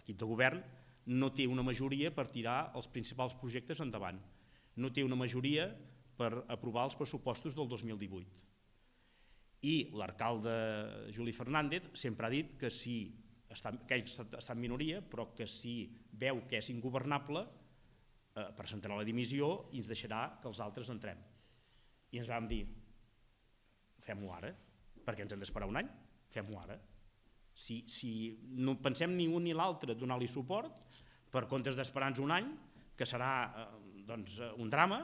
l'equip de govern no té una majoria per tirar els principals projectes endavant, no té una majoria per aprovar els pressupostos del 2018. I l'alcalde Juli Fernández sempre ha dit que ell està en minoria, però que si veu que és ingovernable presentarà la dimissió i ens deixarà que els altres entrem. I ens vam dir, fem-ho ara, perquè ens hem d'esperar un any, fem-ho ara. Si no pensem ni un ni l'altre donar-li suport, per comptes d'esperar-nos un any, que serà un drama,